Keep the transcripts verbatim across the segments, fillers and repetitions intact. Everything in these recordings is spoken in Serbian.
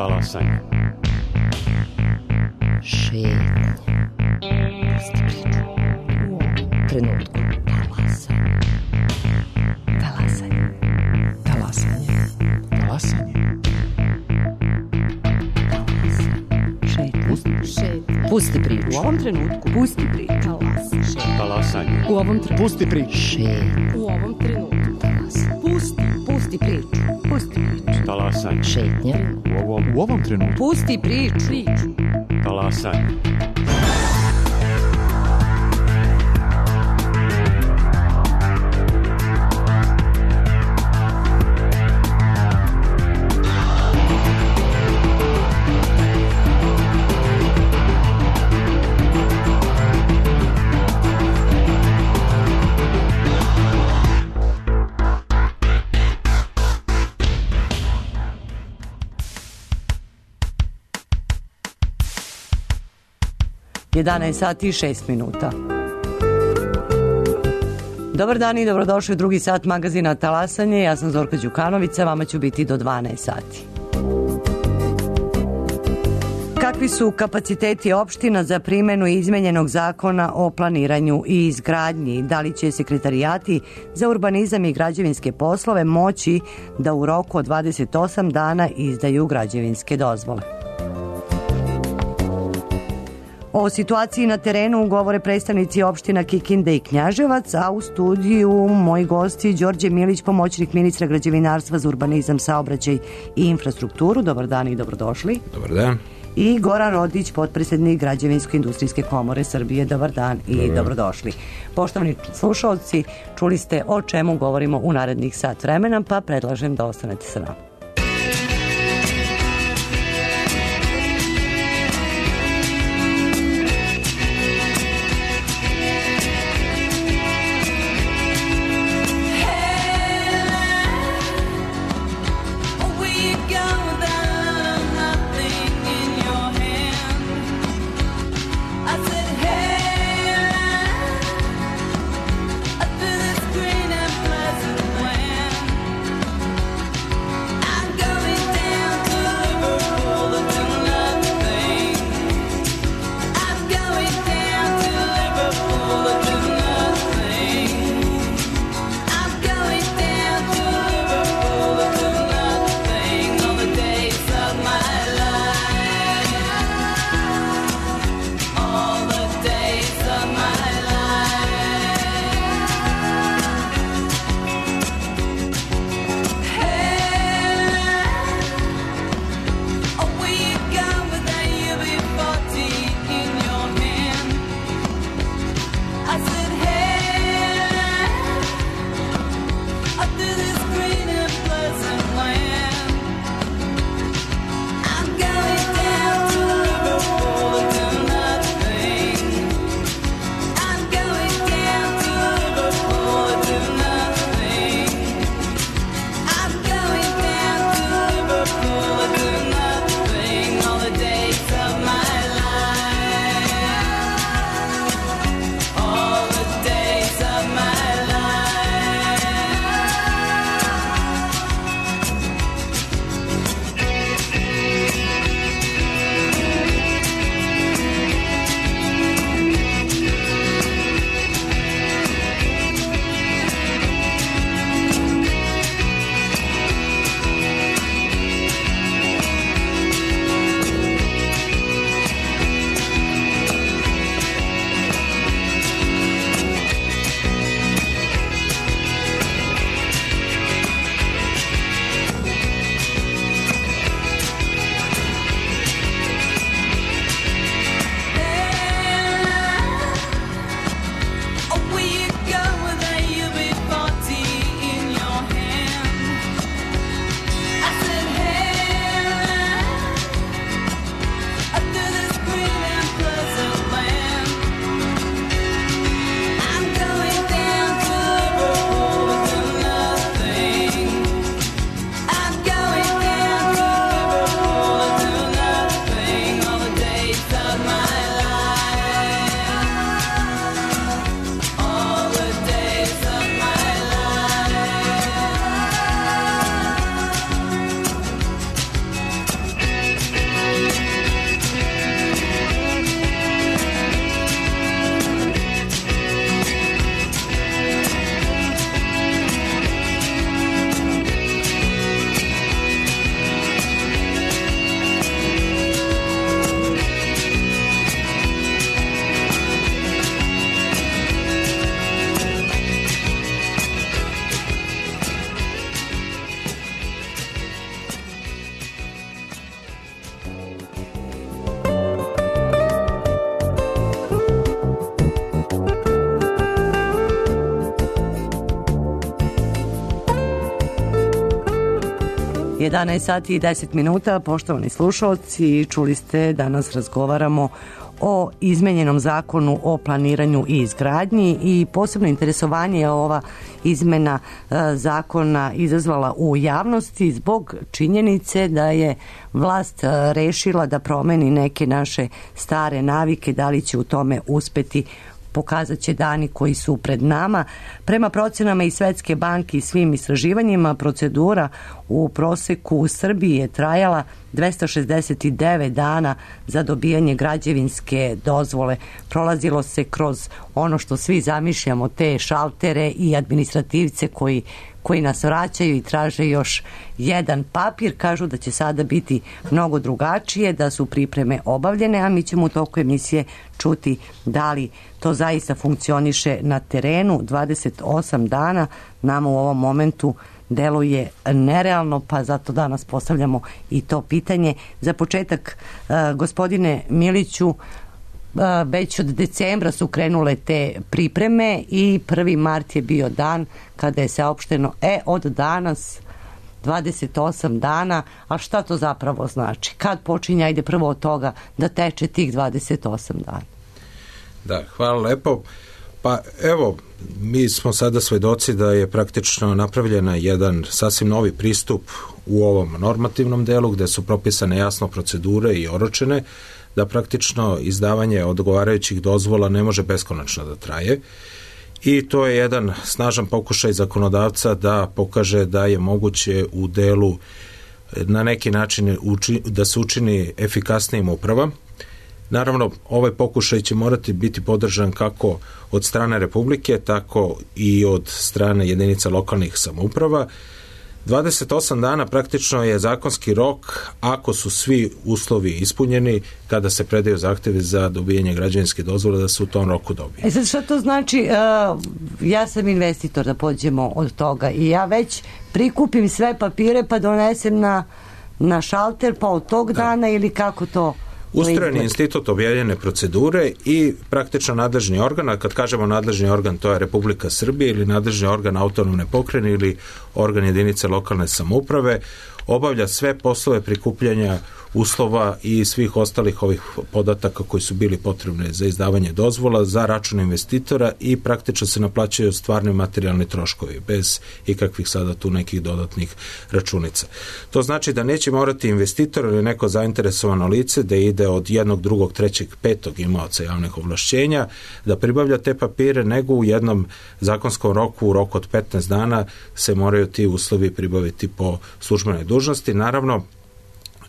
Talasanje. Šetnje. Pusti priču. U ovom trenutku. Talasanje. Talasanje. Talasanje. Talasanje. Šetnje. Šetnje. Pusti priču. U ovom trenutku. Pusti priču. Talasanje. Talasanje. U ovom trenutku. Pusti priču. Šetnje. U ovom trenutku. Talasanje. Pusti. Pusti priču. Pusti priču. Talasanje. Šetnje. U ovom, u ovom trenutku. Pusti priču. Priču. Talasanje. jedanaest sati i šest minuta. Dobar dan i dobrodošli u drugi sat magazina Talasanje. Ja sam Zorka Đukanovića, vama ću biti do dvanaest sati. Kakvi su kapaciteti opština za primenu izmenjenog zakona o planiranju i izgradnji? Da li će sekretarijati za urbanizam i građevinske poslove moći da u roku od dvadeset osam dana izdaju građevinske dozvole? O situaciji na terenu govore predstavnici opština Kikinda i Knjaževac, a u studiju moji gosti Đorđe Milić, pomoćnik ministra građevinarstva za urbanizam, saobraćaj i infrastrukturu. Dobar dan i dobrodošli. Dobar dan. I Goran Rodić, potpredsednik Građevinsko-industrijske komore Srbije. Dobar dan i Dobar. dobrodošli. Poštovani slušalci, čuli ste o čemu govorimo u narednih sat vremena, pa predlažem da ostanete sa nama. I jedanaest sati i deset minuta, poštovani slušalci, čuli ste, danas razgovaramo o izmenjenom zakonu o planiranju i izgradnji i posebno interesovanje je ova izmena e, zakona izazvala u javnosti zbog činjenice da je vlast e, rešila da promeni neke naše stare navike, da li će u tome uspeti pokazat će dani koji su pred nama. Prema procenama i Svetske banke i svim istraživanjima, procedura u proseku u Srbiji je trajala dvesta šezdeset devet dana za dobijanje građevinske dozvole. Prolazilo se kroz ono što svi zamišljamo, te šaltere i administrativce koji koji nas vraćaju i traže još jedan papir. Kažu da će sada biti mnogo drugačije, da su pripreme obavljene, a mi ćemo u toku emisije čuti da li to zaista funkcioniše na terenu. dvadeset osam dana nama u ovom momentu deluje nerealno, pa zato danas postavljamo i to pitanje. Za početak, gospodine Miliću, već od decembra su krenule te pripreme i prvi mart je bio dan kada je saopšteno, e, od danas dvadeset osam dana, a šta to zapravo znači? Kad počinje, ajde prvo od toga, da teče tih dvadeset osam dana? Da, hvala lepo. Pa evo, mi smo sada svedoci da je praktično napravljena jedan sasvim novi pristup u ovom normativnom delu gde su propisane jasno procedure i oročene, da praktično izdavanje odgovarajućih dozvola ne može beskonačno da traje i to je jedan snažan pokušaj zakonodavca da pokaže da je moguće u delu na neki način uči, da se učini efikasnijim uprava. Naravno, ovaj pokušaj će morati biti podržan kako od strane Republike, tako i od strane jedinica lokalnih samouprava. dvadeset osam dana praktično je zakonski rok ako su svi uslovi ispunjeni kada se predaju zahtevi za dobijanje građevinske dozvole da se u tom roku dobije. E sad šta to znači? Uh, ja sam investitor, da pođemo od toga, i ja već prikupim sve papire pa donesem na, na šalter pa od tog da. dana ili kako to? Ustrojen je institut objavljene procedure i praktično nadležni organ, a kad kažemo nadležni organ, to je Republika Srbije ili nadležni organ autonomne pokrajine ili organ jedinice lokalne samouprave, obavlja sve poslove prikupljanja uslova i svih ostalih ovih podataka koji su bili potrebni za izdavanje dozvola za račun investitora i praktično se naplaćaju stvarni materijalni troškovi bez ikakvih sada tu nekih dodatnih računica. To znači da neće morati investitor ili neko zainteresovano lice da ide od jednog, drugog, trećeg, petog imaoca javnih ovlašćenja da pribavlja te papire, nego u jednom zakonskom roku, u roku od petnaest dana se moraju ti uslovi pribaviti po službenoj dužnosti. Naravno,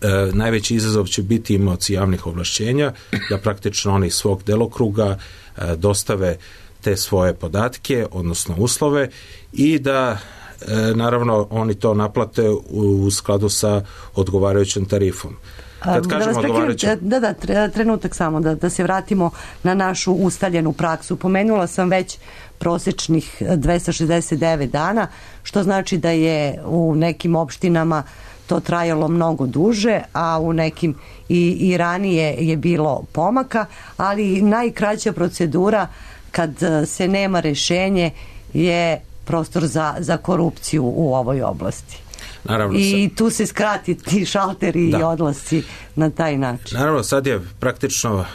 E, najveći izazov će biti imaoci javnih ovlašćenja, da praktično oni svog delokruga e, dostave te svoje podatke, odnosno uslove i da e, naravno oni to naplate u, u skladu sa odgovarajućom tarifom. Kad kažemo da, odgovarajućom... da, da, trenutak samo, da, da se vratimo na našu ustaljenu praksu. Pomenula sam već prosečnih dvesta šezdeset devet dana, što znači da je u nekim opštinama to trajalo mnogo duže, a u nekim i, i ranije je bilo pomaka, ali najkraća procedura kad se nema rešenje je prostor za, za korupciju u ovoj oblasti. Naravno, i tu se skrati ti šalteri da. i odlasci na taj način. Naravno, sad je praktično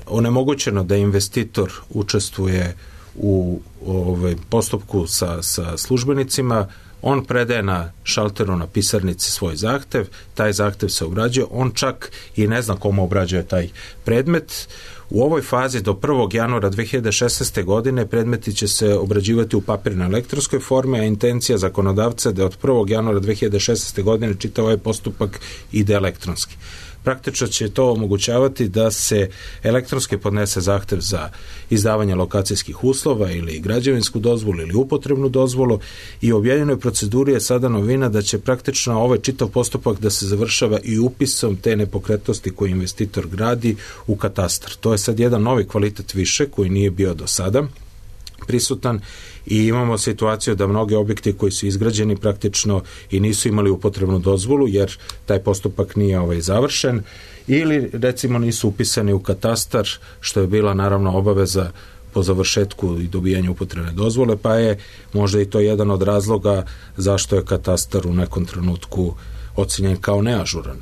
onemogućeno da investitor učestvuje u ovaj postupku sa, sa službenicima. On predaje na šalteru na pisarnici svoj zahtev, taj zahtev se obrađuje, on čak i ne zna komu obrađuje taj predmet. U ovoj fazi do prvog januara dve hiljade šesnaeste. godine predmeti će se obrađivati u papirnoj elektronskoj formi, a intencija zakonodavca da od prvog januara dve hiljade šesnaeste. godine čitav ovaj postupak ide elektronski. Praktično će to omogućavati da se elektronski podnese zahtev za izdavanje lokacijskih uslova ili građevinsku dozvolu ili upotrebnu dozvolu i u objavljenoj proceduri je sada novina da će praktično ovaj čitav postupak da se završava i upisom te nepokretnosti koje investitor gradi u katastar. To je sad jedan novi kvalitet više koji nije bio do sada prisutan i imamo situaciju da mnogi objekti koji su izgrađeni praktično i nisu imali upotrebnu dozvolu jer taj postupak nije ovaj završen ili recimo nisu upisani u katastar, što je bila naravno obaveza po završetku i dobijanju upotrebne dozvole, pa je možda i to jedan od razloga zašto je katastar u nekom trenutku ocenjen kao neažuran.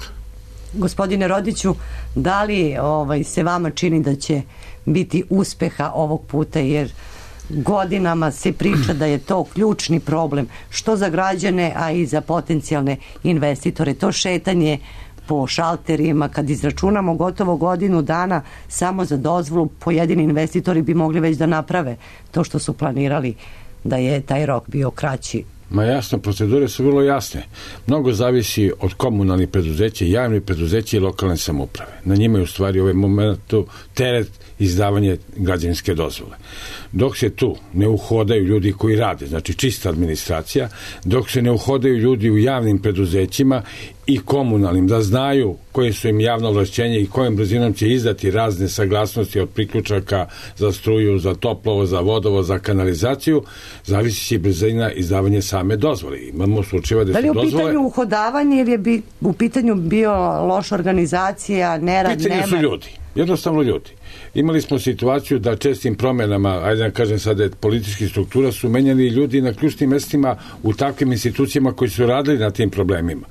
Gospodine Rodiću, da li ovaj, se vama čini da će biti uspeha ovog puta, jer godinama se priča da je to ključni problem, što za građane, a i za potencijalne investitore. To šetanje po šalterima, kad izračunamo gotovo godinu dana samo za dozvolu, pojedini investitori bi mogli već da naprave to što su planirali, da je taj rok bio kraći. Ma jasno, procedure su vrlo jasne. Mnogo zavisi od komunalnih preduzeća, javnih preduzeća i lokalne samouprave. Na njima je u stvari ovaj momentu teret izdavanje građevinske dozvole. Dok se tu ne uhodaju ljudi koji rade, znači čista administracija, dok se ne uhodaju ljudi u javnim preduzećima i komunalnim, da znaju koje su im javno ovlašćenje i kojim brzinom će izdati razne saglasnosti od priključaka za struju, za toplovo, za vodovo, za kanalizaciju, zavisi će brzina izdavanja same dozvole. Imamo slučajeva da su dozvole... Da li je u pitanju uhodavanje ili je bi, u pitanju bio loša organizacija, nerad, nema? Pitanje su ljudi, jednostavno ljudi. Imali smo situaciju da čestim promenama, ajde da kažem sada, političkih struktura su menjali ljudi na ključnim mestima u takvim institucijama koji su radili na tim problemima.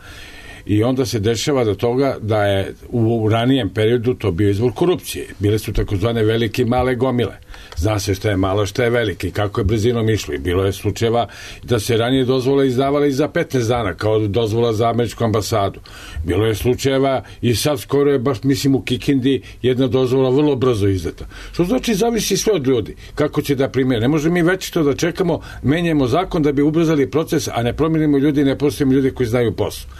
I onda se dešava do toga da je u ranijem periodu to bio izvor korupcije. Bile su takozvane velike i male gomile. Zna se šta je malo, šta je velike i kako je brzinom išlo. I bilo je slučajeva da se ranije dozvola izdavala i za petnaest dana, kao dozvola za američku ambasadu. Bilo je slučajeva i sad skoro je baš, mislim, u Kikindi jedna dozvola vrlo brzo izdata. Što znači zavisi sve od ljudi, kako će da primjene. Ne možemo mi već to da čekamo, menjamo zakon da bi ubrzali proces, a ne promijenimo ljudi, ne postavimo ljudi koji znaju posao.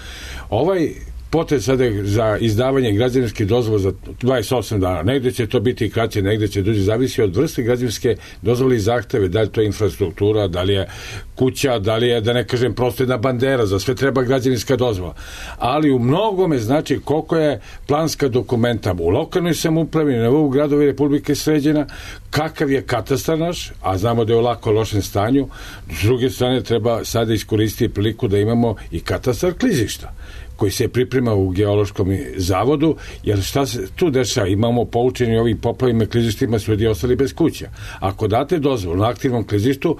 Ovaj potez sada za izdavanje građevinske dozvole za dvadeset osam dana, negde će to biti kraće, negde će duže, zavisi od vrste građevinske dozvole i zahteve, da li to je infrastruktura, da li je kuća, da li je, da ne kažem, prosto jedna bandera, za sve treba građevinska dozvola. Ali u mnogome znači koliko je planska dokumenta u lokalnoj samoupravi, na nivou gradova i Republike sređena, kakav je katastar naš, a znamo da je u lako lošem stanju. S druge strane treba sada iskoristiti priliku da imamo i katastar klizišta koji se priprema u geološkom zavodu, jer šta se tu dešava? Imamo poučeni ovim poplavima klizištima, su ljudi ostali bez kuća. Ako date dozvolu na aktivnom klizištu,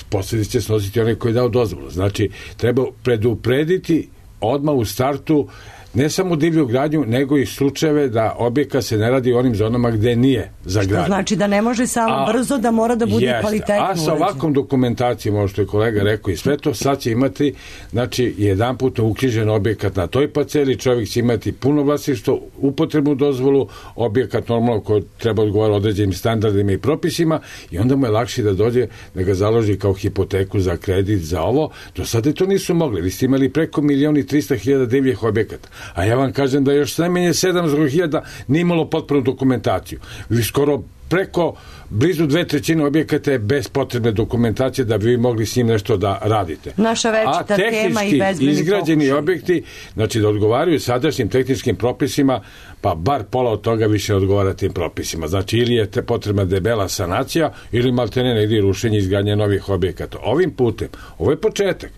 posljedice će snositi onaj koji je dao dozvolu. Znači, treba preduprediti odmah u startu ne samo divlju gradnju, nego i slučajeve da objekat se ne radi u onim zonama gde nije za gradnju. Što znači da ne može samo a, brzo, da mora da bude jest, kvalitetno. A sa ovakvom dokumentacijom, ovo što je kolega rekao i sve to, sad će imati, znači, jedan put uknjižen objekat na toj parceli, čovjek će imati puno vlasništvo, upotrebnu dozvolu, objekat normalno koji treba odgovarati određenim standardima i propisima, i onda mu je lakše da dođe, da ga založi kao hipoteku za kredit, za ovo. Do sada to nisu mogli. Vi ste imali preko milion i trista hiljada divljih objekata. A ja vam kažem da još najmanje sedamsto hiljada nije imalo potpunu dokumentaciju. Vi skoro preko blizu dve trećine objekata je bez potrebne dokumentacije da bi vi mogli s njim nešto da radite. Naša večita tema i bezbedni pokušaj. A izgrađeni objekti, znači da odgovaraju sadašnjim tehničkim propisima, pa bar pola od toga više odgovara tim propisima. Znači, ili je te potrebna debela sanacija, ili maltene negdje rušenje izgradnje novih objekata. Ovim putem, ovo je početak.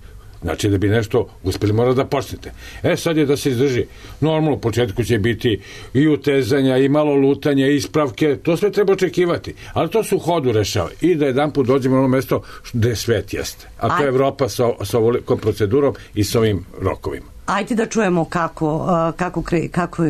Znači, da bi nešto uspeli, mora da počnete. E, sad je da se izdrži. Normalno, u početku će biti i utezanja, i malo lutanja, i ispravke, to sve treba očekivati. Ali to su u hodu rešava. I da jedan put dođemo na ono mesto gde svet jeste. A to je Evropa sa, sa ovolikom procedurom i sa ovim rokovima. Ajde da čujemo kako, kako, kako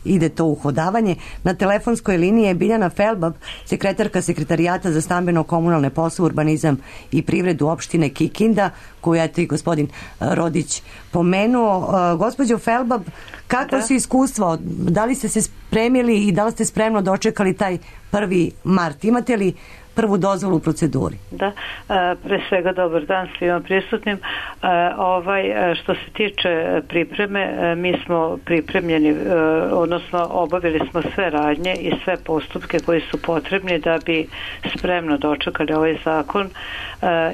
ide to uhodavanje. Na telefonskoj liniji je Biljana Felbab, sekretarka Sekretarijata za stambeno-komunalne poslove, urbanizam i privredu opštine Kikinda, koju je i gospodin Rodić pomenuo. Gospođo Felbab, kako su iskustva? Da li ste se spremili i da li ste spremno dočekali taj prvi mart? Imate li prvu dozvolu u proceduri? Da, pre svega dobar dan svima prisutnim. Ovaj, što se tiče pripreme, mi smo pripremljeni, odnosno obavili smo sve radnje i sve postupke koji su potrebni da bi spremno dočekali ovaj zakon.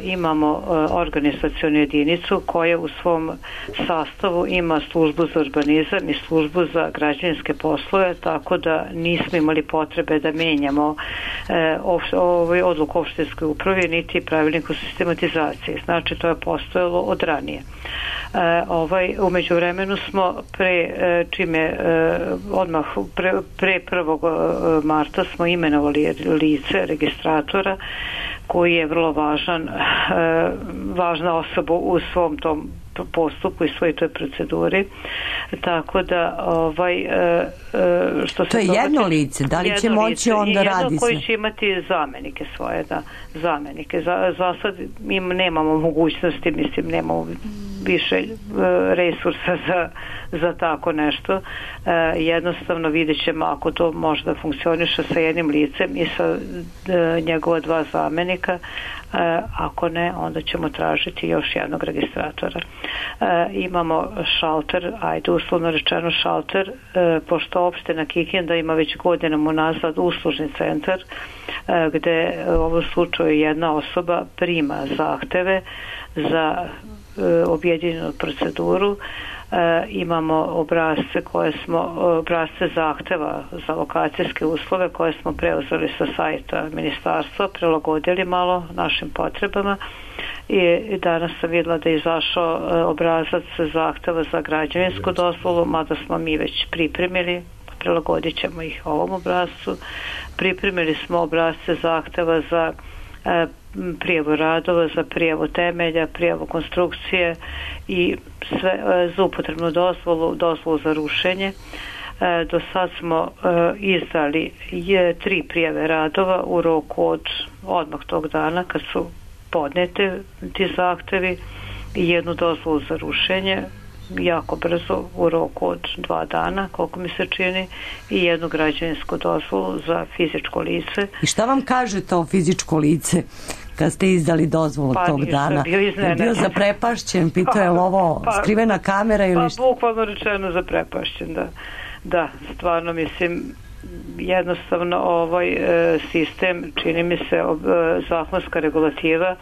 Imamo organizacionu jedinicu koja u svom sastavu ima službu za urbanizam i službu za građevinske poslove, tako da nismo imali potrebe da menjamo ovaj odluku opštinskoj upravi niti pravilnik o sistematizaciji. Znači, to je postojalo od ranije. E, ovaj, umeđu vremenu smo pre, čime odmah pre, pre prvog marta smo imenovali lice registratora koji je vrlo važan, važna osoba u svom tom postupku i svoj toj proceduri. Tako da ovaj e, što se to je jedno lice, da li će moći lice, onda radi jedno koji sve? će imati zamenike svoje, da, zamenike. Za, za sad im nemamo mogućnosti, mislim, nemamo više e, resursa za, za tako nešto. E, jednostavno vidjet ćemo ako to može da funkcioniše sa jednim licem i sa e, njegova dva zamenika. E, ako ne, onda ćemo tražiti još jednog registratora. E, imamo šalter, ajde uslovno rečeno šalter, e, pošto opština Kikinda ima već godinama unazad uslužni centar e, gde u ovom slučaju jedna osoba prima zahteve za e, objedinjenu proceduru. E, imamo obrazce koje smo, obrazce zahteva za lokacijske uslove koje smo preuzeli sa sajta ministarstva, prilagodili malo našim potrebama i, i danas sam vidjela da je izašao e, obrazac zahteva za građevinsku dozvolu, mada smo mi već pripremili, prilagodit ćemo ih ovom obrazcu. Pripremili smo obrazce zahteva za e, prijavu radova, za prijavu temelja, prijavu konstrukcije i sve za upotrebnu dozvolu, dozvolu za rušenje. E, do sad smo e, izdali je tri prijave radova u roku od odmah tog dana kad su podnete ti zahtevi i jednu dozvolu za rušenje jako brzo u roku od dva dana, koliko mi se čini, i jednu građevinsku dozvolu za fizičko lice. I šta vam kaže to fizičko lice kad ste izdali dozvolu pa, tog dana? Bio je bio zaprepašćen, pitao je li ovo pa, skrivena kamera ili šta? Pa bukvalno rečeno zaprepašćen, da. Da, stvarno mislim jednostavno ovaj e, sistem, čini mi se ob, e, zakonska regulativa e,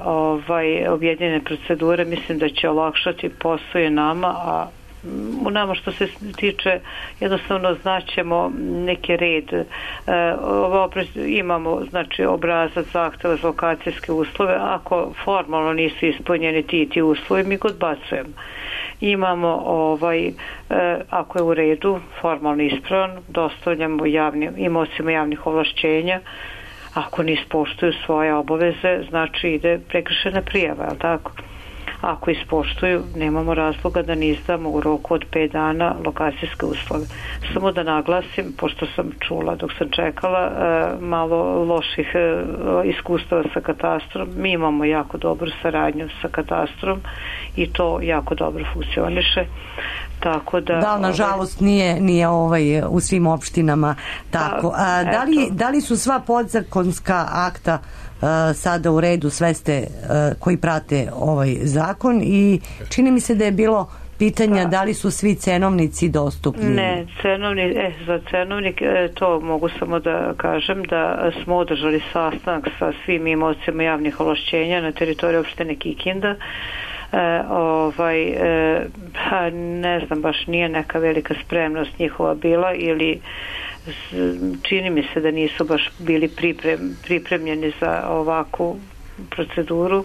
ovaj objedinjene procedure, mislim da će olakšati posao i nama, a u nama što se tiče jednostavno znaćemo neki red. E, ovo imamo znači obrazac zahteva za lokacijske uslove, ako formalno nisu ispunjeni ti ti uslovi mi ga odbacujemo. Imamo ovaj e, ako je u redu, formalno ispravan, dostavljamo javnim imocima javnih ovlašćenja. Ako ne ispoštuju svoje obaveze, znači ide prekršena prijava, je li tako? Ako ispoštuju, nemamo razloga da ne izdamo u roku od pet dana lokacijske uslove. Samo da naglasim, pošto sam čula dok sam čekala malo loših iskustava sa katastrom, mi imamo jako dobru saradnju sa katastrom i to jako dobro funkcioniše. Tako da, da, nažalost nije, nije ovaj, u svim opštinama tako. A, da, li, da li su sva podzakonska akta uh, sada u redu, sve ste uh, koji prate ovaj zakon i čini mi se da je bilo pitanja da li su svi cenovnici dostupni? Ne, cenovni, e, za cenovnik e, to mogu samo da kažem da smo održali sastanak sa svim imocima javnih ovlašćenja na teritoriji opštine Kikinda. E, ovaj, e, pa ne znam, baš nije neka velika spremnost njihova bila ili čini mi se da nisu baš bili priprem, pripremljeni za ovakvu proceduru.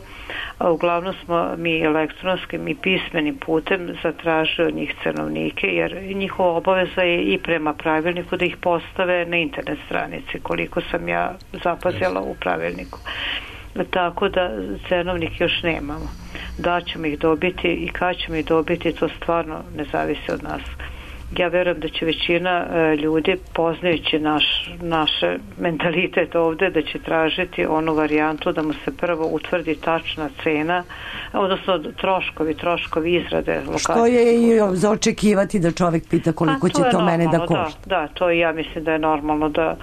A uglavnom smo mi elektronskim i pismenim putem zatražili od njih cenovnike, jer njihova obaveza je i prema pravilniku da ih postave na internet stranici, koliko sam ja zapazila u pravilniku. Tako da cenovnik još nemamo. Da ćemo ih dobiti i kad ćemo ih dobiti, to stvarno ne zavisi od nas. Ja verujem da će većina e, ljudi, poznajući naš, naše mentalitet ovde, da će tražiti onu varijantu da mu se prvo utvrdi tačna cena, odnosno troškovi, troškovi izrade lokacije. Što je i za očekivati da čovjek pita koliko to će to mene da košta. Da, da, to ja mislim da je normalno da,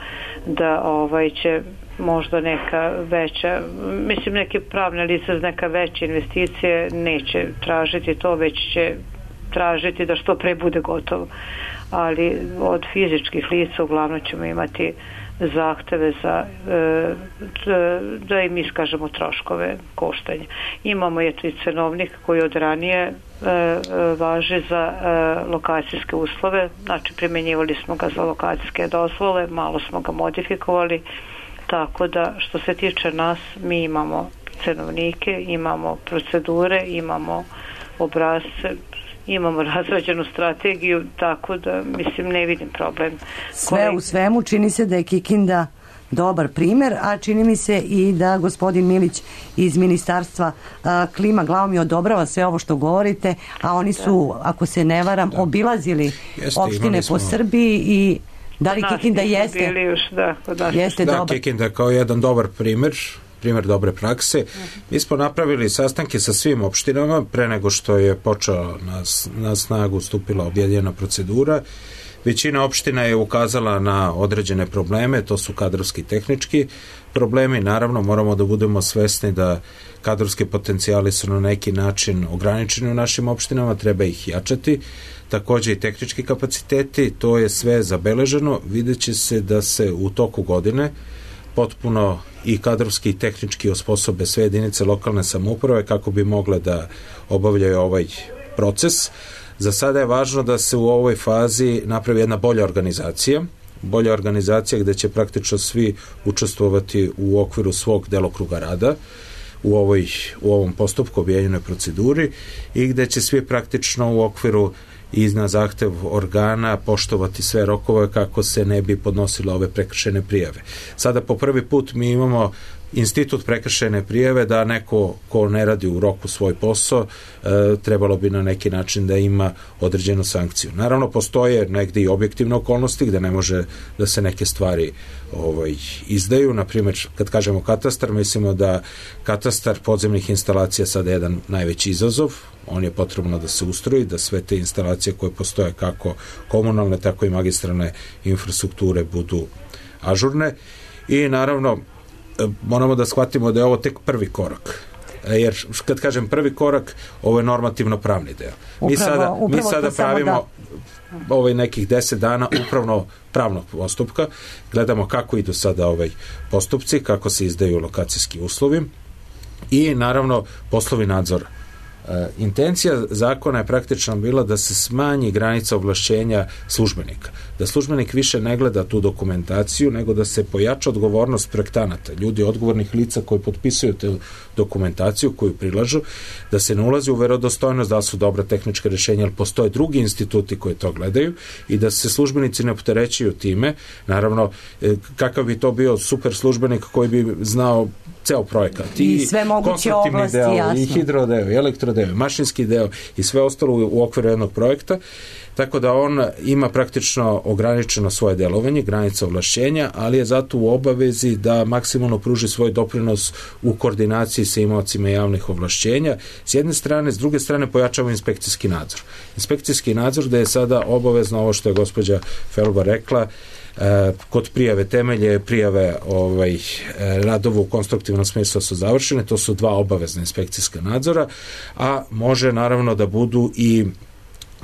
da ovaj će možda neka veća, mislim neke pravne lice, neka veća investicije neće tražiti to, već će tražiti da što pre bude gotovo. Ali od fizičkih lica uglavnom ćemo imati zahteve za e, da im iskažemo troškove koštanja. Imamo eto i cenovnik koji od ranije e, važi za e, lokacijske uslove, znači primjenjivali smo ga za lokacijske dozvole, malo smo ga modifikovali, tako da što se tiče nas, mi imamo cenovnike, imamo procedure, imamo obrazce, imamo razrađenu strategiju, tako da mislim ne vidim problem. Sve u svemu čini se da je Kikinda dobar primer, a čini mi se i da gospodin Milić iz Ministarstva a, klima glavom i odobrava sve ovo što govorite, a oni su, ako se ne varam, da. obilazili Jeste, opštine po smo... Srbiji i da li Kikinda jeste? Bili još, da, jeste da, dobar. Kikinda kao jedan dobar primer, primjer dobre prakse. Mi smo napravili sastanke sa svim opštinama pre nego što je počela na, na snagu stupila objedinjena procedura. Većina opština je ukazala na određene probleme, to su kadrovski i tehnički problemi. Naravno, moramo da budemo svesni da kadrovski potencijali su na neki način ograničeni u našim opštinama, treba ih jačati. Takođe i tehnički kapaciteti, to je sve zabeleženo. Vidjet će se da se u toku godine potpuno i kadrovski i tehnički osposobe sve jedinice lokalne samouprave kako bi mogle da obavljaju ovaj proces. Za sada je važno da se u ovoj fazi napravi jedna bolja organizacija, bolja organizacija gde će praktično svi učestvovati u okviru svog delokruga rada u, ovoj, u ovom postupku objedinjenoj proceduri i gde će svi praktično u okviru i na zahtev organa poštovati sve rokove kako se ne bi podnosile ove prekršajne prijave. Sada po prvi put mi imamo institut prekršajne prijave da neko ko ne radi u roku svoj posao e, trebalo bi na neki način da ima određenu sankciju. Naravno postoje negde i objektivne okolnosti gde ne može da se neke stvari ovaj, izdaju. Naprimjer, kad kažemo katastar, mislimo da katastar podzemnih instalacija sada je jedan najveći izazov. On je potrebno da se ustroji, da sve te instalacije koje postoje kako komunalne, tako i magistralne infrastrukture budu ažurne. I naravno moramo da shvatimo da je ovo tek prvi korak. Jer kad kažem prvi korak, ovo je normativno pravni deo. Upravo, mi sada, mi sada pravimo da... ovaj nekih deset dana upravno pravnog postupka. Gledamo kako idu sada ovaj postupci, kako se izdaju lokacijski uslovi i naravno poslovi nadzora. E, intencija zakona je praktično bila da se smanji granica ovlašćenja službenika. Da službenik više ne gleda tu dokumentaciju, nego da se pojača odgovornost projektanata, ljudi odgovornih lica koji potpisuju te dokumentaciju koju prilažu, da se ne ulazi u verodostojnost da su dobra tehnička rješenja, ali postoje drugi instituti koji to gledaju i da se službenici ne opterećuju time. Naravno, e, kakav bi to bio super službenik koji bi znao ceo projekat i, i sve moguće oblasti, deo, jasno. I hidrodeo, i elektrodeo, mašinski deo i sve ostalo u, u okviru jednog projekta, tako da on ima praktično ograničeno svoje delovanje, granica ovlašćenja, ali je zato u obavezi da maksimalno pruži svoj doprinos u koordinaciji sa imaocima javnih ovlašćenja. S jedne strane, s druge strane pojačava inspekcijski nadzor. Inspekcijski nadzor da je sada obavezno ovo što je gospođa Felba rekla, E, kod prijave temelje, prijave ovaj, radova u konstruktivnom smislu su završene, to su dva obavezna inspekcijska nadzora, a može naravno da budu i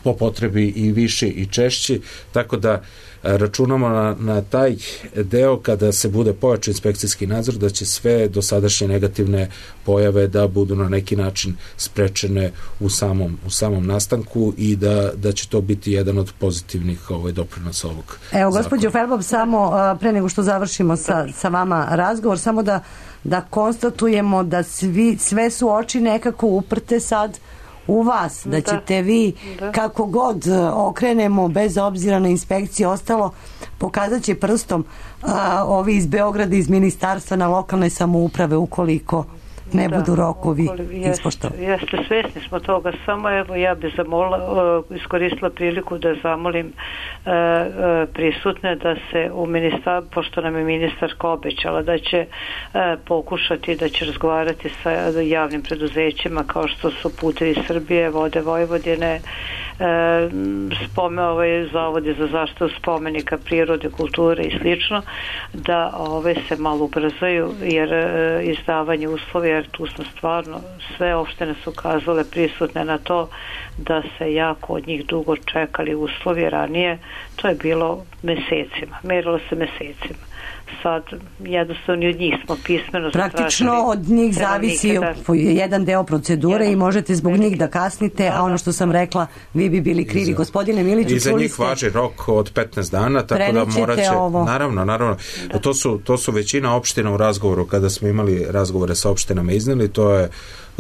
po potrebi i više i češći, tako da računamo na, na taj deo kada se bude pojačan inspekcijski nadzor da će sve dosadašnje negativne pojave da budu na neki način sprečene u samom, u samom nastanku i da, da će to biti jedan od pozitivnih ovaj, doprinosa ovog Evo, gospođo Felbob, samo pre nego što završimo sa, sa vama razgovor, samo da, da konstatujemo da svi, sve su oči nekako uprte sad u vas, da ćete vi da. kako god okrenemo bez obzira na inspekcije ostalo, pokazat će prstom a, ovi iz Beograda, iz ministarstva na lokalne samouprave ukoliko ne da, budu rokovi ispoštovani. Jeste, svesni smo toga, samo evo ja bi zamola, uh, iskoristila priliku da zamolim uh, uh, prisutne da se u ministar, pošto nam je ministarka obećala da će uh, pokušati, da će razgovarati sa javnim preduzećima kao što su Putevi Srbije, Vode Vojvodine, spome ovaj zavodi za zaštitu spomenika prirode, kulture i slično, da ove se malo ubrzaju jer e, izdavanje uslova, jer tu smo stvarno sve opštine su ukazale prisutne na to da se jako od njih dugo čekali uslovi ranije, to je bilo mesecima, merilo se mesecima. Sad jednostavno od njih smo pismeno praktično od njih zavisi da... jedan deo procedure jedan. I možete zbog njih da kasnite, da, a ono što sam rekla vi bi bili krivi. Za... Gospodine Miliću, i za njih ste... važi rok od petnaest dana, tako da moraće ovo. naravno, naravno da. to, su, to su većina opština u razgovoru, kada smo imali razgovore sa opštinama izneli, to je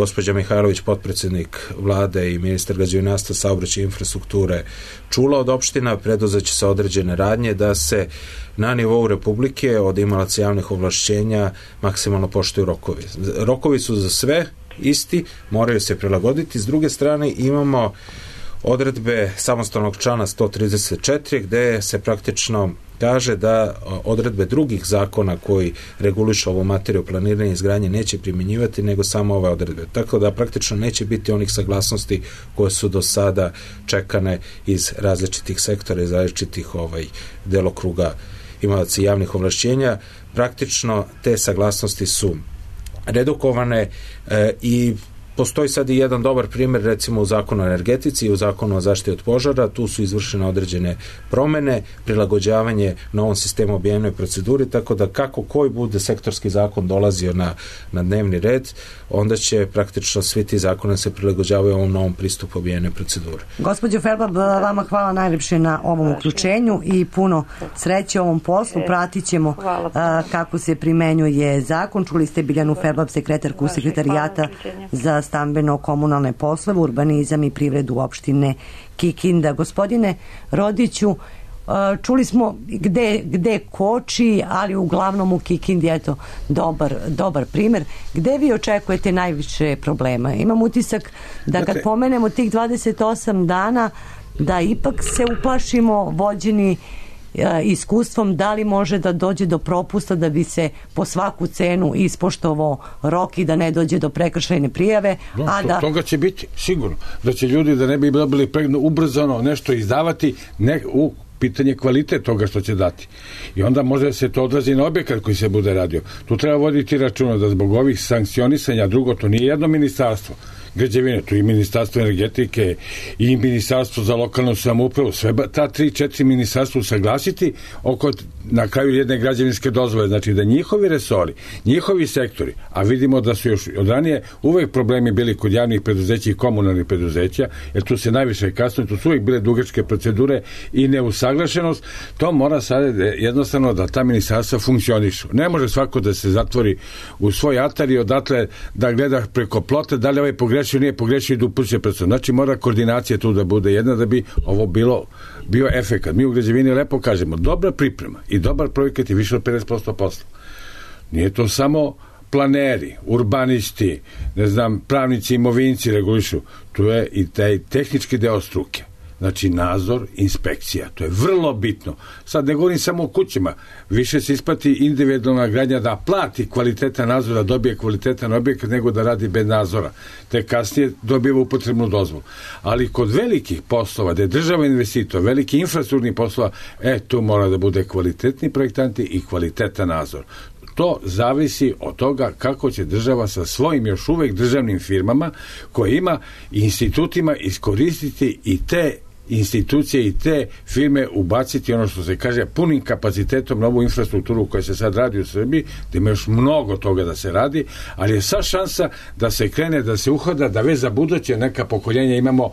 gospođa Mihajlović, potpredsjednik vlade i ministar građevinarstva, saobraćaja i infrastrukture, čula od opština, preduzeće se određene radnje da se na nivou Republike od imalaca javnih ovlašćenja maksimalno poštuju rokovi. Rokovi su za sve isti, moraju se prilagoditi. S druge strane imamo odredbe samostalnog člana sto trideset četiri gde se praktično kaže da odredbe drugih zakona koji regulišu ovu materiju planiranja i izgradnje neće primjenjivati nego samo ove odredbe. Tako da praktično neće biti onih saglasnosti koje su do sada čekane iz različitih sektora, iz različitih ovaj, delokruga imalaca javnih ovlašćenja. Praktično te saglasnosti su redukovane e, i postoji sad i jedan dobar primjer, recimo u zakonu o energetici i u zakonu o zaštiti od požara. Tu su izvršene određene promene, prilagođavanje novom sistemu objedinjenoj proceduri, tako da kako koji bude sektorski zakon dolazio na, na dnevni red, onda će praktično svi ti zakone se prilagođavaju ovom novom pristupu objedinjenoj proceduri. Gospođo Felbab, vama hvala najljepše na ovom uključenju i puno sreće ovom poslu. Pratit ćemo a, kako se primenjuje zakon. Čuli ste Biljanu Felbab, sekretarku sekretarijata za stambeno-komunalne poslove, urbanizam i privredu opštine Kikinda. Gospodine Rodiću, čuli smo gde, gde koči, ali uglavnom u Kikindi je to dobar, dobar primjer. Gde vi očekujete najviše problema? Imam utisak da kad pomenemo tih dvadeset osam dana, da ipak se uplašimo vođeni iskustvom, da li može da dođe do propusta da bi se po svaku cenu ispoštovao rok i da ne dođe do prekršajne prijave. No, a to, da... Toga će biti sigurno. Da će ljudi da ne bi dobili pregno ubrzano nešto izdavati ne, u pitanje kvalitet toga što će dati. I onda može se to odrazi na objekat koji se bude radio. Tu treba voditi računa da zbog ovih sankcionisanja, drugo, to nije jedno ministarstvo građevine, tu i ministarstvo energetike i ministarstvo za lokalnu samoupravu, sve ta tri, četiri ministarstva usaglasiti oko na kraju jedne građevinske dozvole, znači da njihovi resori, njihovi sektori, a vidimo da su još od ranije uvek problemi bili kod javnih preduzeća i komunalnih preduzeća, jer tu se najviše kasno, tu su uvek bile dugačke procedure i neusaglašenost, to mora sad jednostavno da ta ministarstva funkcionišu. Ne može svako da se zatvori u svoj atar i odatle da gleda preko plota da li ovaj pogrešio, nije pogrešio i da upuće predstav. Znači mora koordinacija tu da bude jedna da bi ovo bilo bio efekat. Mi u građevini lepo kažemo, dobra priprema i dobar projekat je više od pedeset posto posla. Nije to samo planeri, urbanisti, ne znam, pravnici, imovinci regulišu. Tu je i taj tehnički deo struke. Znači nadzor, inspekcija. To je vrlo bitno. Sad ne govorim samo o kućima. Više se isplati individualna gradnja da plati kvalitetan nadzor, da dobije kvalitetan objekat nego da radi bez nadzora. Te kasnije dobiva upotrebnu dozvolu. Ali kod velikih poslova, da je država investitor, veliki infrastrukturni poslova, e, tu mora da bude kvalitetni projektanti i kvalitetan nadzor. To zavisi od toga kako će država sa svojim još uvek državnim firmama koje ima i institutima iskoristiti i te institucije i te firme ubaciti ono što se kaže punim kapacitetom novu infrastrukturu koja se sad radi u Srbiji, da ima još mnogo toga da se radi, ali je sad šansa da se krene, da se uhoda, da već za buduće neka pokoljenja imamo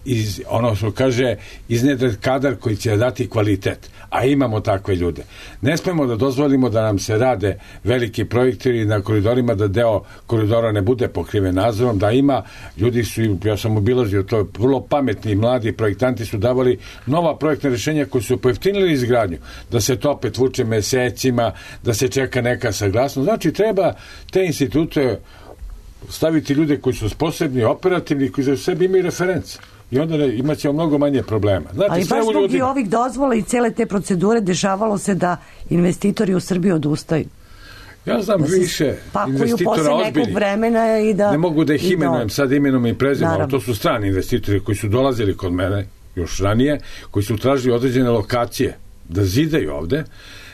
iz, ono što kaže iznedret kadar koji će dati kvalitet, a imamo takve ljude. Ne smemo da dozvolimo da nam se rade veliki projekti na koridorima, da deo koridora ne bude pokriven nadzorom, da ima, ljudi su, ja sam obilazio, to je vrlo pametni mladi projektanti su davali nova projektna rješenja koji su pojeftinili izgradnju, da se to opet vuče mesecima, da se čeka neka saglasnost. Znači treba te institute staviti ljude koji su sposobni, operativni, koji za sebi imaju reference. I onda ne, imat ćemo mnogo manje problema. Znate, ali baš zbog ljudi... i ovih dozvola i cele te procedure dešavalo se da investitori u Srbiji odustaju. Ja znam da više investitora ozbiljnih. Vremena i da, ne mogu da ih imenujem, sad imenom i prezimenom, ali to su strani investitori koji su dolazili kod mene još ranije, koji su tražili određene lokacije da zidaju ovde,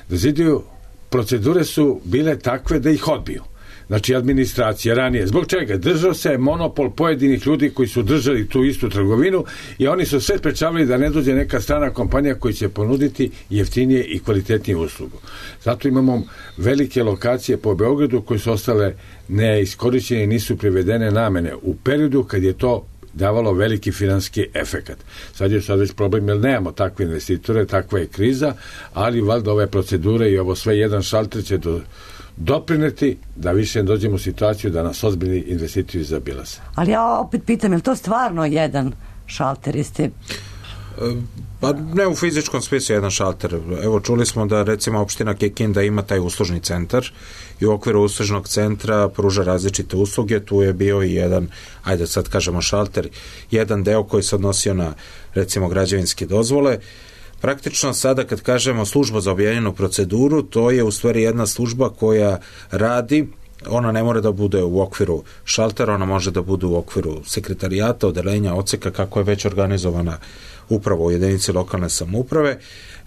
da zidaju, procedure su bile takve da ih odbiju. Znači administracija ranije. Zbog čega? Držao se monopol pojedinih ljudi koji su držali tu istu trgovinu i oni su sve sprečavali da ne dođe neka strana kompanija koji će ponuditi jeftinije i kvalitetnije uslugu. Zato imamo velike lokacije po Beogradu koje su ostale neiskorišćene i nisu privedene namene u periodu kad je to davalo veliki finanski efekat. Sad je sad već problem jer nemamo takve investitore, takva je kriza, ali valjda ove procedure i ovo sve jedan šalter će do doprineti da više ne dođemo u situaciju da nas ozbiljni investitori zaobilaze. Ali ja opet pitam, je li to stvarno jedan šalter? Jeste... Pa ne u fizičkom smislu jedan šalter. Evo čuli smo da recimo opština Kikinda ima taj uslužni centar i u okviru uslužnog centra pruža različite usluge. Tu je bio i jedan, ajde sad kažemo šalter, jedan deo koji se odnosio na recimo građevinske dozvole. Praktično sada kad kažemo služba za objedinjenu proceduru, to je u stvari jedna služba koja radi, ona ne mora da bude u okviru šaltera, ona može da bude u okviru sekretarijata, odelenja, odseka, kako je već organizovana upravo u jedinici lokalne samouprave.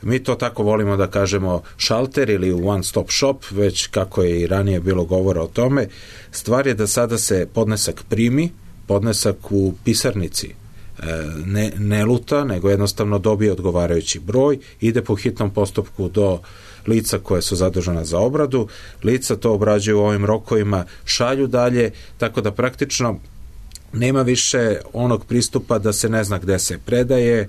Mi to tako volimo da kažemo šalter ili one stop shop, već kako je i ranije bilo govora o tome. Stvar je da sada se podnesak primi, podnesak u pisarnici ne, ne luta, nego jednostavno dobije odgovarajući broj, ide po hitnom postupku do lica koje su zadužena za obradu, lica to obrađuju u ovim rokovima, šalju dalje, tako da praktično nema više onog pristupa da se ne zna gde se predaje e,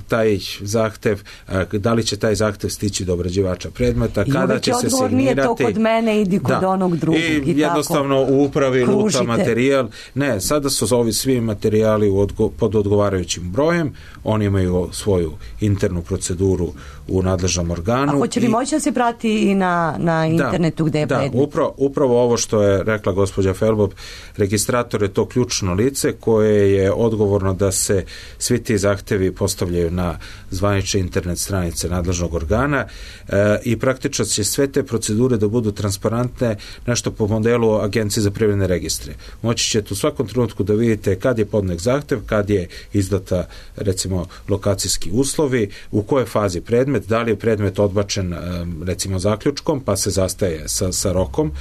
taj zahtev, e, da li će taj zahtev stići do obrađivača predmeta, kada će se signirati. Nije to kod mene, idi kod da. onog drugog. I, i jednostavno tako u upravi luta materijal. Ne, sada su ovi svi materijali u odgo, pod odgovarajućim brojem, oni imaju svoju internu proceduru u nadležnom organu. A hoće li i, moći da se prati i na, na internetu da, gde je da, predmet? Da, upravo, upravo ovo što je rekla gospođa Felbob, registrator je to ključno lice koje je odgovorno da se svi ti zahtevi postavljaju na zvanične internet stranice nadležnog organa e, i praktično će sve te procedure da budu transparentne, nešto po modelu Agencije za privredne registre. Moći ćete u svakom trenutku da vidite kad je podnet zahtev, kad je izdata recimo lokacijski uslovi, u kojoj fazi predmet, da li je predmet odbačen recimo zaključkom, pa se zastaje sa, sa rokom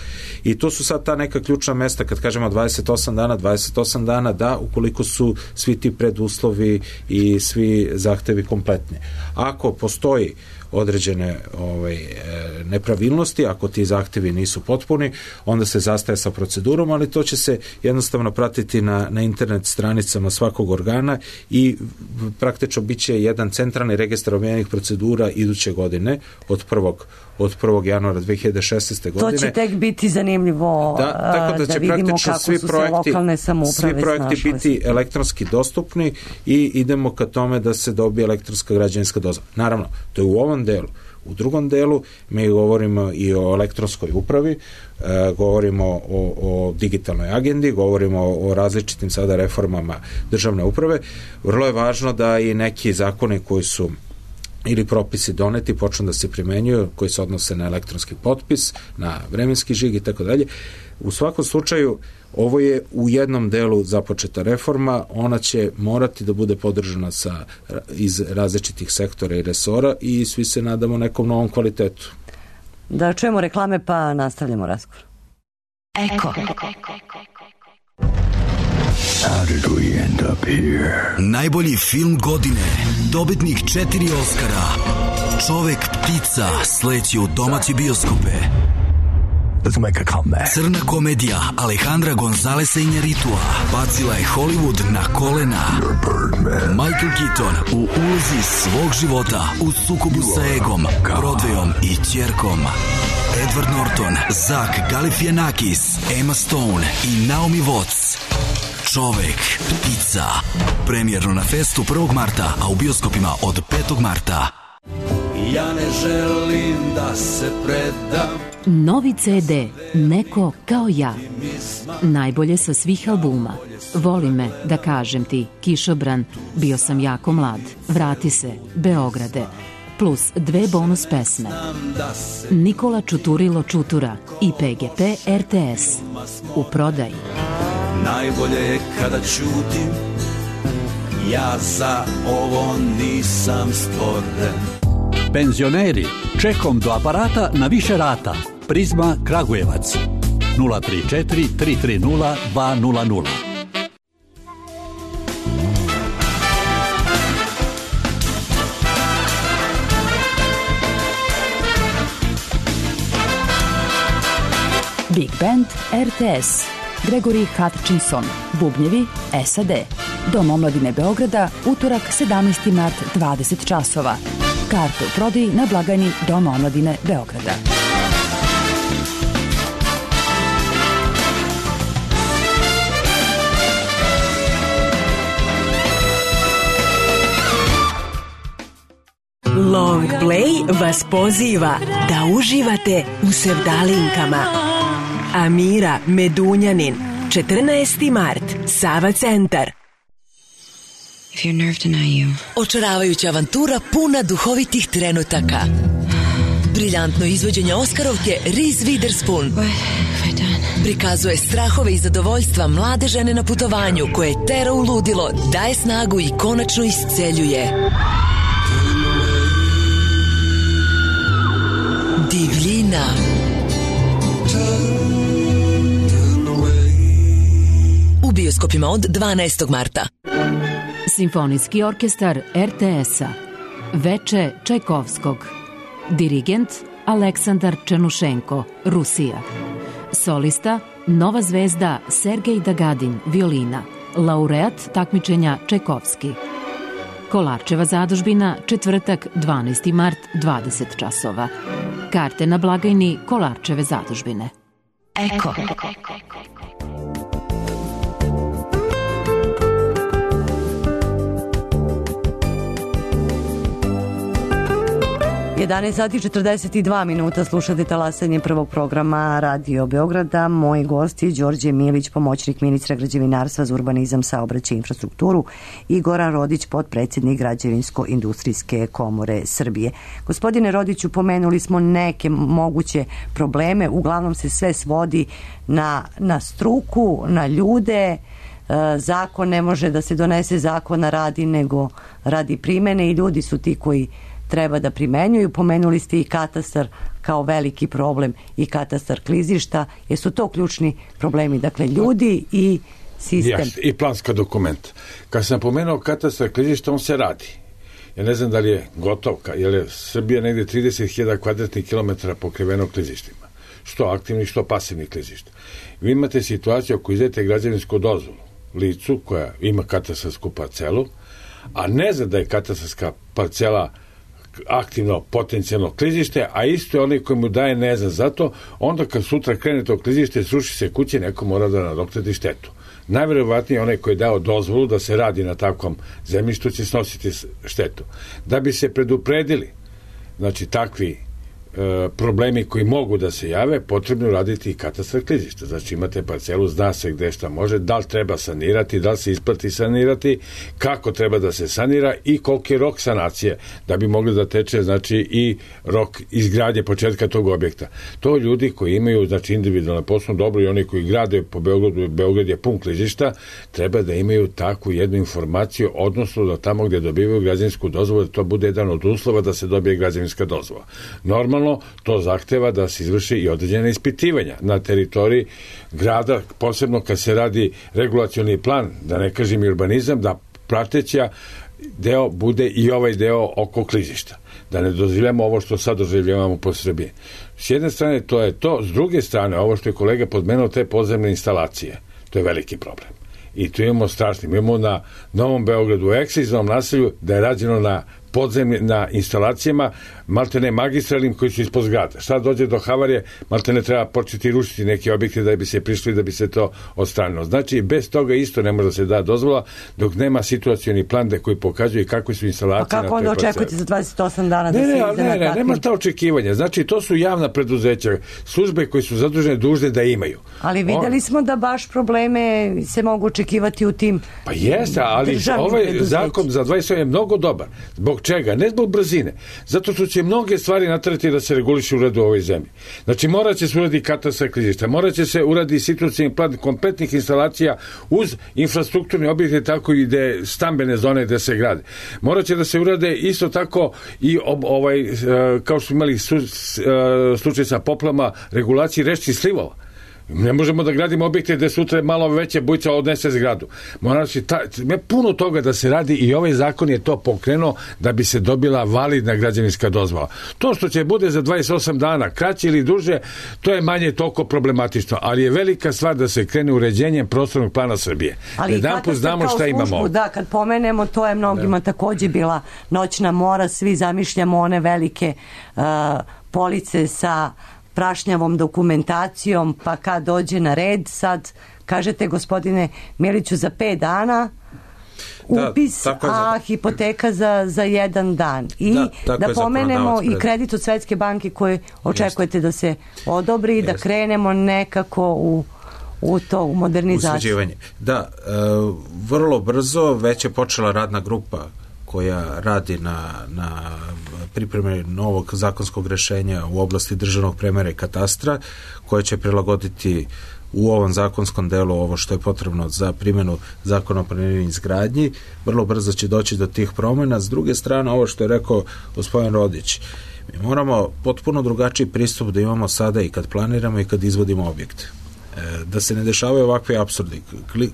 i to su sad ta neka ključna mesta kad kažemo dvadeset osam dana, dvadeset osam dana da, ukoliko su svi ti preduslovi i svi zahtevi kompletni. Ako postoji određene ovaj, nepravilnosti, ako ti zahtevi nisu potpuni, onda se zastaje sa procedurom, ali to će se jednostavno pratiti na, na internet stranicama svakog organa i praktično bit će jedan centralni registar objedinjenih procedura iduće godine od prvog od prvog januara dve hiljade šesnaeste godine. To će tek biti zanimljivo da, tako da, će da vidimo kako svi su projekti, se lokalne samouprave svi projekti snašle. biti elektronski dostupni i idemo ka tome da se dobije elektronska građevinska dozvola. Naravno, to je u ovom delu. U drugom delu mi govorimo i o elektronskoj upravi, e, govorimo o, o digitalnoj agendi, govorimo o, o različitim sada reformama državne uprave. Vrlo je važno da i neki zakoni koji su ili propisi doneti počnu da se primenjuju, koji se odnose na elektronski potpis, na vremenski žig i tako dalje. U svakom slučaju, ovo je u jednom delu započeta reforma, ona će morati da bude podržana sa, iz različitih sektora i resora i svi se nadamo nekom novom kvalitetu. Da čujemo reklame pa nastavljamo razgovor. Eko. How did we end up here? Najbolji film godine, dobitnik četiri Oskara, Čovek ptica sleće u domaće bioskope. Let's make a comeback. Crna komedija Alejandra Gonzalesa Iñárritua bacila je Hollywood na kolena. Michael Keaton u ulozi svog života u sukobu sa egom, Broadwayom i ćerkom. Edward Norton, Zach Galifianakis, Emma Stone i Naomi Watts. Čovek ptica. Premijerno na festu prvog marta, a u bioskopima od petog marta. Ja ne želim da se predam. Novi ce de Neko kao ja. Najbolje sa svih albuma. Voli me, da kažem ti, Kišobran, Bio sam jako mlad, Vrati se, Beograde, plus dve bonus pesme. Nikola Čuturilo Čutura i pe ge pe er te es. U prodaji. Najbolje je kada ćutim, ja za ovo nisam stvoren. Penzioneri, čekom do aparata na više rata. Prizma Kragujevac nula tri četiri tri tri nula dva nula nula. Big Band er te es. Gregory Hutchinson, bubnjevi es a de. Dom omladine Beograda, utorak sedamnaesti mart, dvadeset časova. Karte u prodaji na blagajni Doma omladine Beograda. Coldplay vas poziva da uživate u sevdalinkama. Amira Medunjanin, četrnaesti mart, Sava centar. If your nerve deny you. Očaravajuća avantura puna duhovitih trenutaka. Briljantno izvođenje Oskarovke Reese Witherspoon prikazuje strahove i zadovoljstva mlade žene na putovanju koje tera u ludilo, daje snagu i konačno isceljuje. Divljina. U bioskopima od dvanaestog marta. Simfonijski orkestar er te es-a. Veče Čajkovskog. Dirigent Aleksandar Černušenko, Rusija. Solista nova zvezda Sergej Dagadin, violina. Laureat takmičenja Čajkovski. Kolarčeva zadužbina, četvrtak dvanaesti mart, dvadeset časova. Karte na blagajni Kolarčeve zadužbine. Eko. jedanaest sati četrdeset dva minuta, slušate talasanje prvog programa Radio Beograda. Moji gosti Đorđe Milić, pomoćnik ministra građevinarstva za urbanizam, saobraćaj i infrastrukturu, i Goran Rodić, potpredsjednik Građevinsko-industrijske komore Srbije. Gospodine Rodiću, pomenuli smo neke moguće probleme, uglavnom se sve svodi na, na struku, na ljude. Zakon ne može da se donese zakona radi, nego radi primene, i ljudi su ti koji treba da primenjuju. Pomenuli ste i katastar kao veliki problem i katastar klizišta. Jesu to ključni problemi? Dakle, ljudi i sistem. Jasne, i planska dokumenta. Kad sam pomenuo katastar klizišta, on se radi. Ja ne znam da li je gotov, jer je Srbija negde trideset hiljada kvadratnih kilometara pokriveno klizištima. Što aktivnih, što pasivnih klizišta. Vi imate situaciju ako izdete građevinsku dozvolu licu koja ima katastarsku parcelu, a ne zna da je katastarska parcela aktivno potencijalno klizište, a isto je onaj koji mu daje ne zna zato, onda kad sutra krene to klizište, sruši se kuće, neko mora da nadoknadi štetu. Najverovatnije onaj koji je dao dozvolu da se radi na takvom zemljištu će snositi štetu. Da bi se predupredili, znači takvi e, problemi koji mogu da se jave, potrebno raditi i katastar klizišta. Znači imate parcelu, zna se gde šta može, da li treba sanirati, da li se isplati sanirati, kako treba da se sanira i koliki je rok sanacije, da bi mogli da teče, znači, i rok izgradnje početka tog objekta. To ljudi koji imaju, znači, individualno poslovno dobro i oni koji grade po Beogradu, Beograd je pun klizišta, treba da imaju takvu jednu informaciju, odnosno da tamo gde dobivaju građevinsku dozvolu, da to bude jedan od uslova da se dobije građevinska dozvola. Normalno to zahteva da se izvrši i određene ispitivanja na teritoriji grada, posebno kad se radi regulacioni plan, da ne kažem i urbanizam, da prateća deo bude i ovaj deo oko klizišta. Da ne dozvoljamo ovo što sad doživljavamo po Srbiji. S jedne strane to je to, s druge strane ovo što je kolega podmenuo, te podzemne instalacije, to je veliki problem. I tu imamo strašni, imamo na Novom Beogradu, u ekskluzivnom naselju, da je rađeno na podzemnim, na instalacijama, maltene magistralnim koji su ispod zgrada. Šta dođe do havarije, maltene treba početi rušiti neki objekti da bi se prišli, da bi se to odstranilo. Znači, bez toga isto ne može da se da dozvola, dok nema situacioni plan da koji pokazuje kakve su instalacije. Pa kako onda očekujete za dvadeset osam dana da ne, se ne, ide ne, na ne, takvim? nema ta očekivanja. Znači, to su javna preduzeća, službe koji su zadužene dužne da imaju. Ali videli smo da baš probleme se mogu očekivati u tim Pa jeste, ali ovaj zakon za dvadeset osam je mnogo dobar. Zbog čega? Ne zbog brzine. Zato što će mnoge stvari natrati da se reguliše u redu u ovoj zemlji. Znači, morat će se uraditi katastar klizišta, morat će se uraditi situacijni plan kompletnih instalacija uz infrastrukturne objekte, tako i gde stambene zone gde se grade. Morat će da se urade isto tako i ob, ovaj, kao što imali su, slučaj sa poplama, regulaciji rečnih slivova. Ne možemo da gradimo objekte gde sutra malo veće bujica odnese zgradu. Mora se ta, puno toga da se radi i ovaj zakon je to pokrenuo da bi se dobila validna građevinska dozvola. To što će bude za dvadeset osam dana, kraće ili duže, to je manje toliko problematično, ali je velika stvar da se krene uređenjem prostornog plana Srbije. Ali jedan put znamo šta službu, imamo. Da, kad pomenemo, to je mnogima da. takođe bila noćna mora, svi zamišljamo one velike uh, police sa prašnjavom dokumentacijom, pa kad dođe na red, sad kažete, gospodine Miliću, za pet dana upis, da, a hipoteka za, za jedan dan. I da, da pomenemo i kredit od Svetske banke koje očekujete Jest. da se odobri i da Jest. krenemo nekako u u to, u modernizaciju. Da, e, vrlo brzo već je počela radna grupa koja radi na, na pripremi novog zakonskog rešenja u oblasti državnog premera i katastra, koja će prilagoditi u ovom zakonskom delu ovo što je potrebno za primjenu zakona o planiranju i izgradnji. Vrlo brzo će doći do tih promjena. S druge strane, ovo što je rekao gospodin Rodić, mi moramo potpuno drugačiji pristup da imamo sada i kad planiramo i kad izvodimo objekte. Da se ne dešavaju ovakve apsurdi.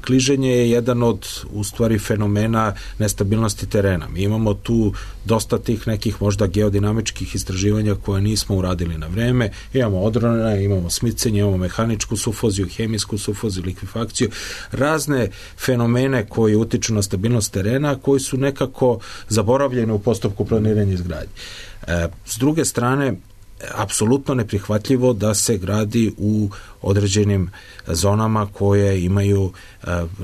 Kliženje je jedan od, u stvari, fenomena nestabilnosti terena. Mi imamo tu dosta tih nekih možda geodinamičkih istraživanja koje nismo uradili na vreme. Imamo odrone, imamo smicenje, imamo mehaničku sufoziju, hemijsku sufoziju, likvifakciju, razne fenomene koji utiču na stabilnost terena, koji su nekako zaboravljeni u postupku planiranja i izgradnje. E, s druge strane, apsolutno neprihvatljivo da se gradi u određenim zonama koje imaju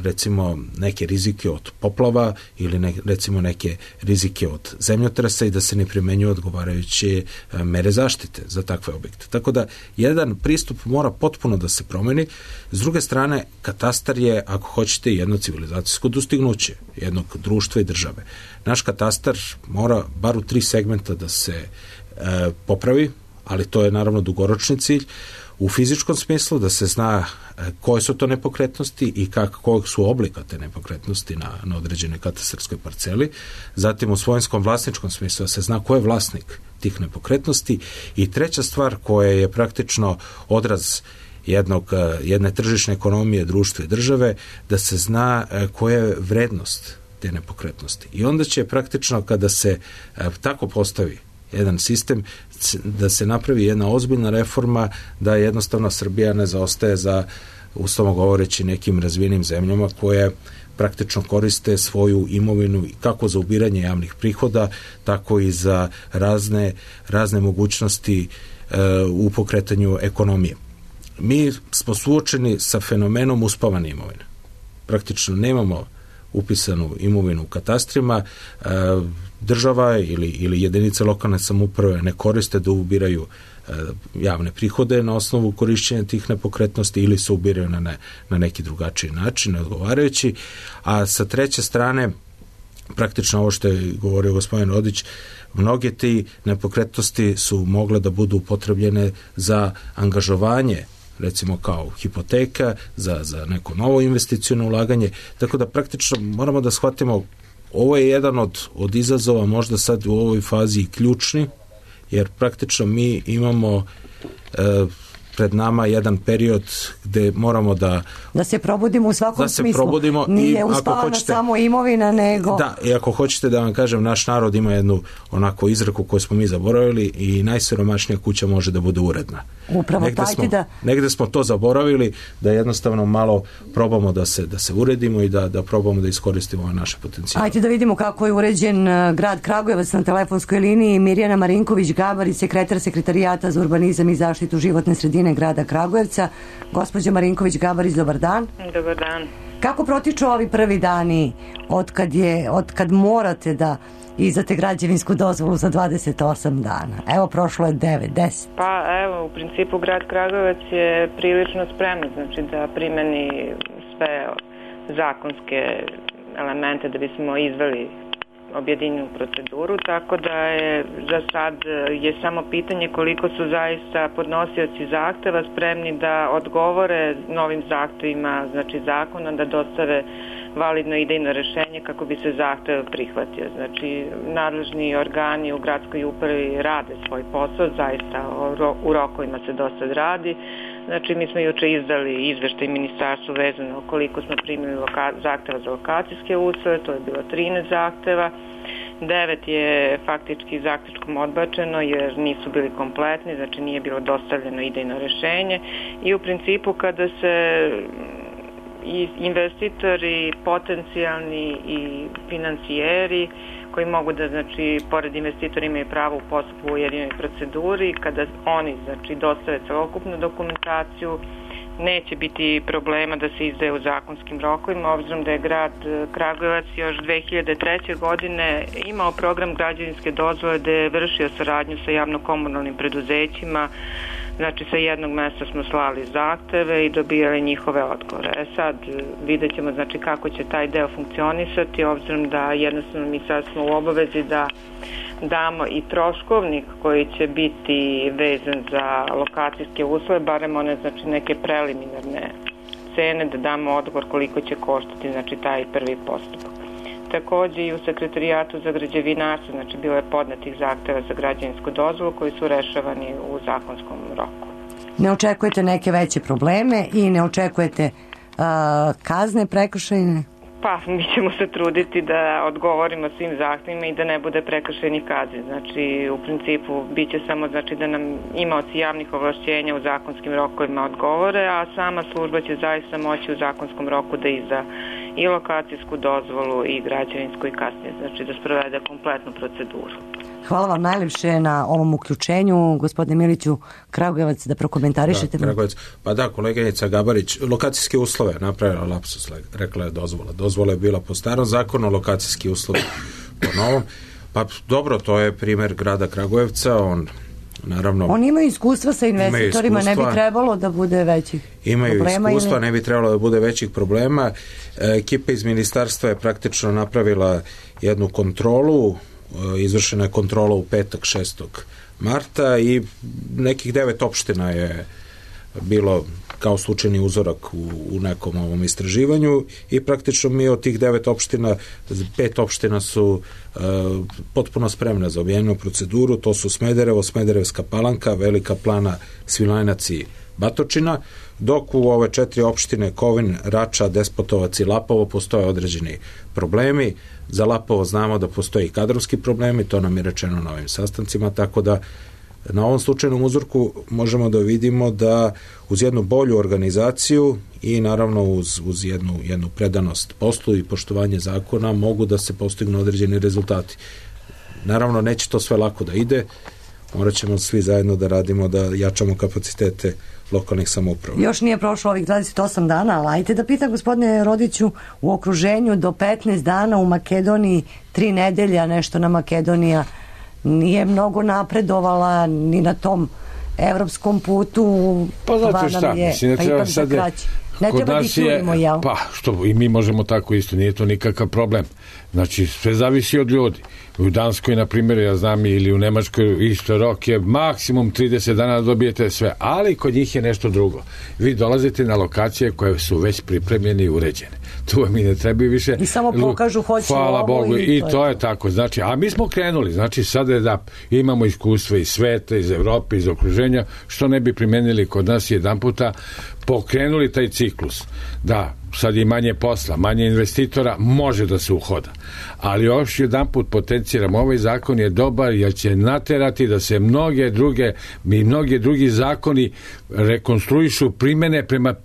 recimo neke rizike od poplava ili ne, recimo neke rizike od zemljotresa i da se ne primenjuju odgovarajuće mere zaštite za takve objekte. Tako da jedan pristup mora potpuno da se promeni. S druge strane, katastar je, ako hoćete, jedno civilizacijsko dostignuće jednog društva i države. Naš katastar mora bar u tri segmenta da se e, popravi, ali to je naravno dugoročni cilj, u fizičkom smislu da se zna koje su to nepokretnosti i kak, kojeg su oblika te nepokretnosti na, na određenoj katastarskoj parceli, zatim u svojinskom vlasničkom smislu da se zna ko je vlasnik tih nepokretnosti i treća stvar koja je praktično odraz jednog, jedne tržišne ekonomije, društva i države, da se zna koja je vrednost te nepokretnosti. I onda će praktično kada se tako postavi jedan sistem, da se napravi jedna ozbiljna reforma, da jednostavno Srbija ne zaostaje za, uslovno govoreći, nekim razvijenim zemljama koje praktično koriste svoju imovinu kako za ubiranje javnih prihoda, tako i za razne, razne mogućnosti e, u pokretanju ekonomije. Mi smo suočeni sa fenomenom uspavane imovine. Praktično nemamo upisanu imovinu u katastrima, e, država ili, ili jedinice lokalne samouprave ne koriste da ubiraju e, javne prihode na osnovu korišćenja tih nepokretnosti ili se ubiraju na, ne, na neki drugačiji način, neodgovarajući, a sa treće strane, praktično ovo što je govorio gospodin Rodić, mnoge ti nepokretnosti su mogle da budu upotrebljene za angažovanje, recimo kao hipoteka, za, za neko novo investiciono ulaganje, tako da praktično moramo da shvatimo, ovo je jedan od, od izazova, možda sad u ovoj fazi ključni, jer praktično mi imamo e, pred nama jedan period gde moramo da da se probudimo u svakom da se smislu. Probudimo Nije i uspavana hoćete, samo imovina, nego... Da, i ako hoćete da vam kažem, naš narod ima jednu onako izreku koju smo mi zaboravili i najsiromašnija kuća može da bude uredna. Upravo negde tajte smo, da... Negde smo to zaboravili, da jednostavno malo probamo da se, da se uredimo i da, da probamo da iskoristimo ove naše potencijale. Ajde da vidimo kako je uređen grad Kragujevac. Na telefonskoj liniji Mirjana Marinković-Gabarić, sekretar Sekretarijata za urbanizam i zaštitu životne sredine grada Kragujevca. Gospođa Marinković-Gabarić, dobar dan. Dobar dan. Kako protiču ovi prvi dani od kad, je, od kad morate da izdate građevinsku dozvolu za dvadeset osam dana? Evo, prošlo je devet, deset. Pa evo, u principu grad Kragujevac je prilično spreman, znači da primeni sve zakonske elemente da bismo izveli objedinjenu proceduru, tako da je za sad je samo pitanje koliko su zaista podnosioci zahteva spremni da odgovore novim zahtevima, znači zakona, da dostave validno idejno rešenje kako bi se zahtev prihvatio. Znači, nadležni organi u gradskoj upravi rade svoj posao, zaista u rokovima se dosta radi. Znači, mi smo juče izdali izveštaj ministarstvu vezano koliko smo primili loka- zahteva za lokacijske uslove, to je bilo trinaest zahteva. devet je faktički zaključkom odbačeno jer nisu bili kompletni, znači nije bilo dostavljeno idejno rešenje i u principu kada se i investitori, potencijalni i financijeri koji mogu da, znači, pored investitora imaju pravo u postupku u ujedinjenoj proceduri, kada oni, znači, dostave celokupnu dokumentaciju, neće biti problema da se izdaje u zakonskim rokovima, obzirom da je grad Kragujevac još dve hiljade treće. godine imao program građevinske dozvole gde je vršio saradnju sa javno-komunalnim preduzećima. Znači, sa jednog mesta smo slali zahteve i dobijali njihove odgovore. E sad, vidjet ćemo znači, kako će taj deo funkcionisati, obzirom da jednostavno mi sad smo u obavezi da damo i troškovnik koji će biti vezan za lokacijske uslove, barem one znači, neke preliminarne cene, da damo odgovor koliko će koštati znači, taj prvi postupak. Takođe i u sekretarijatu za građevinarstvo, znači bilo je podnetih zahteva za građevinsku dozvolu koji su rešavani u zakonskom roku. Ne očekujete neke veće probleme i ne očekujete uh, kazne prekršajne? Pa, mi ćemo se truditi da odgovorimo svim zahtevima i da ne bude prekršajnih kazni. Znači, u principu, bit će samo znači, da nam imaoci javnih ovlašćenja u zakonskim rokovima odgovore, a sama služba će zaista moći u zakonskom roku da izda i lokacijsku dozvolu i građevinsku i kasnije, znači da sprovede kompletnu proceduru. Hvala vam najlepše na ovom uključenju. Gospodine Miliću, Kragujevac, da prokomentarišete. Da, Kragujevac. Pa da, koleginica Gabarić, lokacijske uslove napravila lapsus, rekla je dozvola. Dozvola je bila po starom zakonu, lokacijski uslovi po novom. Pa dobro, to je primer grada Kragujevca, on naravno... Oni imaju iskustva sa investitorima, iskustva, ne bi trebalo da bude većih imaju problema. Imaju iskustva, ili... ne bi trebalo da bude većih problema. Ekipa iz ministarstva je praktično napravila jednu kontrolu, izvršena je kontrola u petak šestog marta i nekih devet opština je bilo kao slučajni uzorak u, u nekom ovom istraživanju i praktično mi od tih devet opština, pet opština su uh, potpuno spremne za objavljenu proceduru, to su Smederevo, Smederevska Palanka, Velika Plana, Svilajnac i Batočina, dok u ove četiri opštine Kovin, Rača, Despotovac i Lapovo postoje određeni problemi. Za Lapovo znamo da postoji kadrovski problemi, to nam je rečeno na ovim sastancima, tako da na ovom slučajnom uzorku možemo da vidimo da uz jednu bolju organizaciju i naravno uz, uz jednu, jednu predanost poslu i poštovanje zakona mogu da se postignu određeni rezultati. Naravno, neće to sve lako da ide, morat ćemo svi zajedno da radimo, da jačamo kapacitete lokalnih samouprava. Još nije prošlo ovih dvadeset osam dana, ali ajte da pitam gospodine Rodiću, u okruženju do petnaest dana u Makedoniji, tri nedelja nešto na Makedonija nije mnogo napredovala ni na tom evropskom putu. Pa znate šta, je, mislim, ne pa treba sad ne treba da čujemo, jel? Pa, što i mi možemo tako isto, nije to nikakav problem. Znači, sve zavisi od ljudi. U Danskoj, na primjer, ja znam, ili u Nemačkoj isto rok je maksimum trideset dana da dobijete sve, ali kod njih je nešto drugo. Vi dolazite na lokacije koje su već pripremljene i uređene. Tu vam i ne treba više. I samo pokažu hoće Hvala ovo Bogu, i, i to, to je. je tako. Znači, a mi smo krenuli, znači sada je da imamo iskustva iz sveta, iz Evrope, iz okruženja, što ne bi primenili kod nas jedan puta, pokrenuli taj ciklus. Da, sad je manje posla, manje investitora, može da se uhoda. Ali još jedan put potenciram, ovaj zakon je dobar jer će naterati da se mnoge druge i mnogi drugi zakoni rekonstruišu, primene prema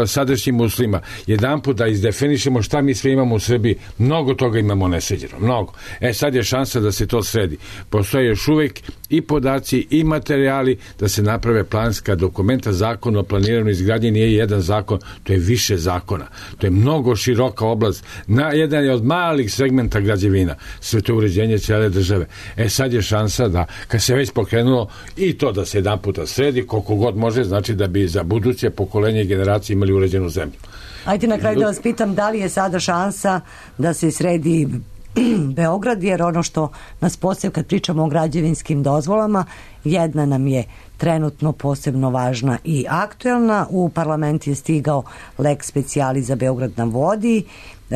sadašnjim uslovima. Jedan put da izdefinišemo šta mi sve imamo u Srbiji. Mnogo toga imamo nesređeno, mnogo. E sad je šansa da se to sredi. Postoje još uvek i podaci i materijali da se naprave planska dokumenta. Zakon o planiranju izgradnje nije jedan zakon, to je više zakona. To je mnogo široka oblast. Na, jedan je od malih segmenta građevina. Sve to uređenje cijele države. E sad je šansa da, kad se već pokrenulo, i to da se jedan puta sredi, koliko god može, znači da bi za buduće pokolenje i generacije imali uređenu zemlju. Ajde na kraju da vas pitam, da li je sada šansa da se sredi Beograd, jer ono što nas posebno kad pričamo o građevinskim dozvolama, jedna nam je trenutno posebno važna i aktuelna. U parlament je stigao lex specialis za Beograd na vodi. E,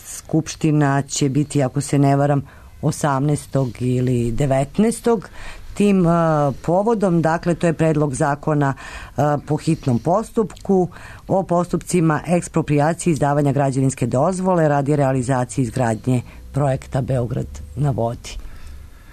Skupština će biti, ako se ne varam, osamnaestog ili devetnaestog tim uh, povodom, dakle to je predlog zakona uh, po hitnom postupku o postupcima eksproprijacije izdavanja građevinske dozvole radi realizacije izgradnje projekta Beograd na vodi.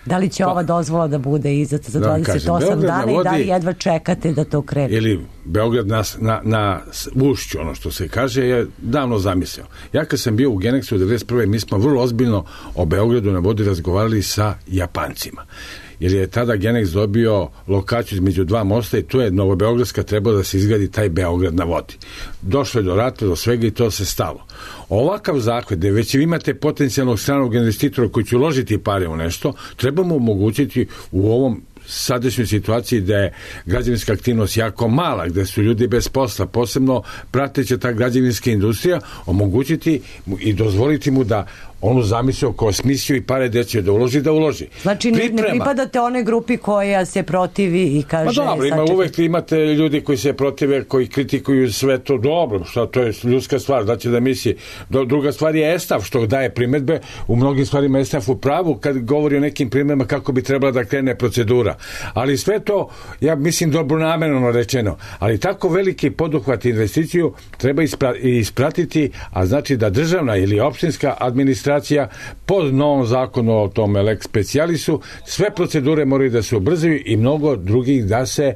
Da li će pa, ova dozvola da bude izdata za da dvadeset osam dana vodi, i da li jedva čekate da to krene? Ili Beograd na, na, na ušću, ono što se kaže, je davno zamislio. Ja kad sam bio u Genexu u devedeset prve mi smo vrlo ozbiljno o Beogradu na vodi razgovarali sa Japancima. jer je tada Genex dobio lokaciju između dva mosta i tu je Novobeogradska trebalo da se izgradi taj Beograd na vodi. Došlo je do rata, do svega i to se stalo. Ovakav zahvat, gde već imate potencijalnog stranog investitora koji će uložiti pare u nešto, trebamo omogućiti u ovom sadašnjoj situaciji da je građevinska aktivnost jako mala, gde su ljudi bez posla, posebno prateća ta građevinska industrija, omogućiti i dozvoliti mu da onu zamislio ko smislio i pare gde će da uloži, da uloži. Znači ne, ne pripadate onoj grupi koja se protivi i kaže... Ma dobro, ima, uvek imate ljudi koji se protive, koji kritikuju sve to dobro, šta to je ljudska stvar, da će da misli. Druga stvar je Estaf, što daje primetbe, u mnogim stvarima Estaf u pravu kad govori o nekim primetbama kako bi trebala da krene procedura. Ali sve to, ja mislim, dobronamerno rečeno, ali tako veliki poduhvat investiciju treba ispra, ispratiti, a znači da državna ili opštinska administracija pod novom zakonu o tome lex specialisu, sve procedure moraju da se ubrzaju i mnogo drugih da se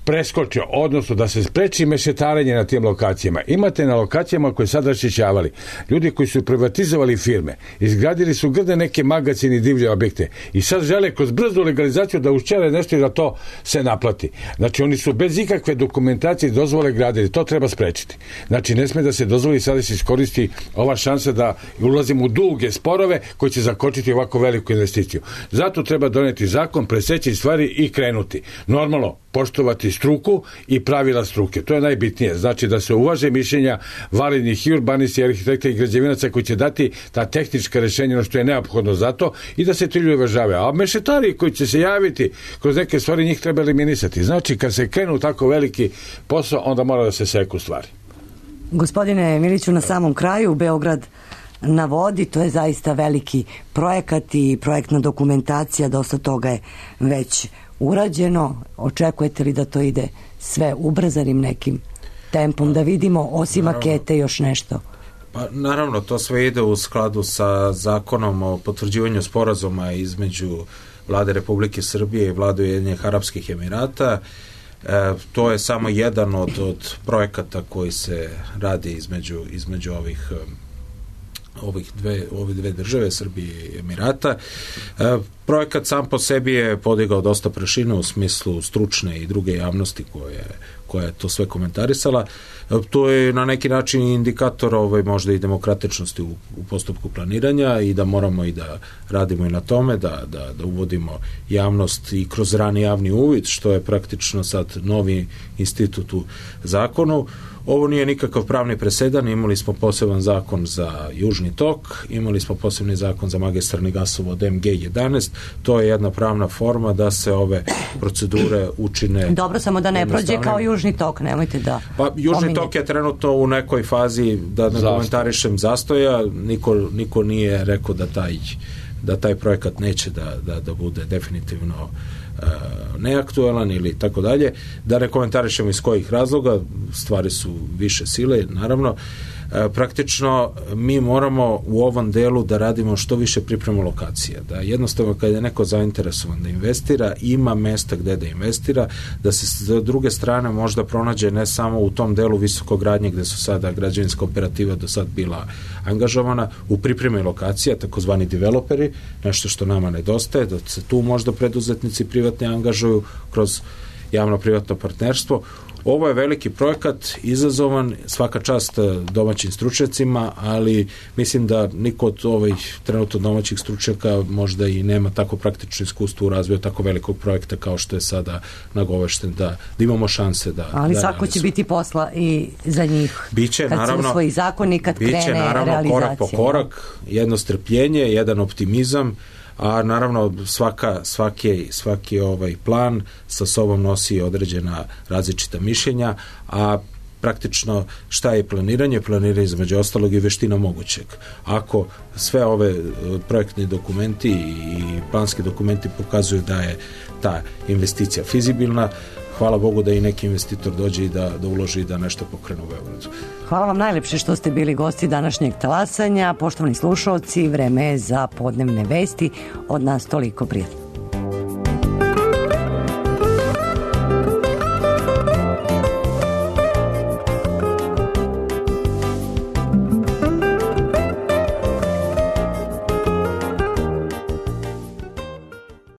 preskoče, odnosno da se spreči mešetarenje na tim lokacijama. Imate na lokacijama koje sad raščišćavali ljudi koji su privatizovali firme, izgradili su grde neke magacine i divlje objekte i sad žele kroz brzu legalizaciju da ušćere nešto i da to se naplati. Znači oni su bez ikakve dokumentacije dozvole gradili, to treba sprečiti. Znači ne sme da se dozvoli sada se iskoristi ova šansa da ulazimo u duge sporove koji će zakočiti ovako veliku investiciju. Zato treba doneti zakon, preseći stvari i krenuti. Normalno, poštovati struku i pravila struke. To je najbitnije. Znači da se uvaže mišljenja validnih i urbanista, i arhitekta i građevinaca koji će dati ta tehnička rešenja ono što je neophodno za to i da se ti ljudi uvažavaju. A mešetari koji će se javiti kroz neke stvari njih treba eliminisati. Znači kad se krenu tako veliki posao onda mora da se seku stvari. Gospodine Miliću, na samom kraju Beograd na vodi, to je zaista veliki projekat i projektna dokumentacija, dosta toga je već urađeno. Očekujete li da to ide sve ubrzanim nekim tempom, da vidimo osim naravno, makete još nešto? Pa naravno, to sve ide u skladu sa zakonom o potvrđivanju sporazuma između Vlade Republike Srbije i Vlade Ujedinjenih Arapskih Emirata. E, to je samo jedan od, od projekata koji se radi između, između ovih ovih dve, ove dve države, Srbije i Emirata. E, projekat sam po sebi je podigao dosta prašine u smislu stručne i druge javnosti koje, koja je to sve komentarisala. E, to je na neki način indikator ovaj, možda i demokratičnosti u, u postupku planiranja i da moramo i da radimo i na tome, da, da, da uvodimo javnost i kroz rani javni uvid, što je praktično sad novi institut u zakonu. Ovo nije nikakav pravni presedan, imali smo poseban zakon za Južni tok, imali smo posebni zakon za magistralni gasovod M G jedanaest, to je jedna pravna forma da se ove procedure učine... Dobro, samo da ne prođe kao Južni tok, nemojte da... Pa Južni pominjete. Tok je trenutno u nekoj fazi, da ne komentarišem, zastoja, niko, niko nije rekao da taj, da taj projekat neće da, da, da bude definitivno neaktualan ili tako dalje, da ne komentarišemo iz kojih razloga, stvari su više sile, naravno. Praktično mi moramo u ovom delu da radimo što više pripremu lokacija, da jednostavno kada je neko zainteresovan da investira, ima mesta gde da investira, da se s druge strane možda pronađe ne samo u tom delu visokogradnje gde su sada građevinska operativa do sad bila angažovana, u pripremi lokacija, takozvani developeri, nešto što nama nedostaje, da se tu možda preduzetnici privatni angažuju kroz javno-privatno partnerstvo. Ovo je veliki projekat, izazovan, svaka čast domaćim stručnjacima, ali mislim da niko od ovih trenutno domaćih stručnjaka možda i nema tako praktično iskustvo u razvoju tako velikog projekta kao što je sada nagovešten, da, da imamo šanse da... Ali da svako će biti posla i za njih. Biće, kad naravno, se usvoji zakon i kad biće, krene naravno, realizacija. korak po korak, jedno strpljenje, jedan optimizam, a naravno svaka, svaki, svaki ovaj plan sa sobom nosi određena različita mišljenja, a praktično šta je planiranje? Planiranje između ostalog i veština mogućeg. Ako sve ove projektni dokumenti i planski dokumenti pokazuju da je ta investicija fizibilna, hvala Bogu da i neki investitor dođe i da, da uloži i da nešto pokrene u Beogradu. Hvala vam najlepše što ste bili gosti današnjeg talasanja. Poštovani slušalci, vreme je za podnevne vesti. Od nas toliko, prijatno.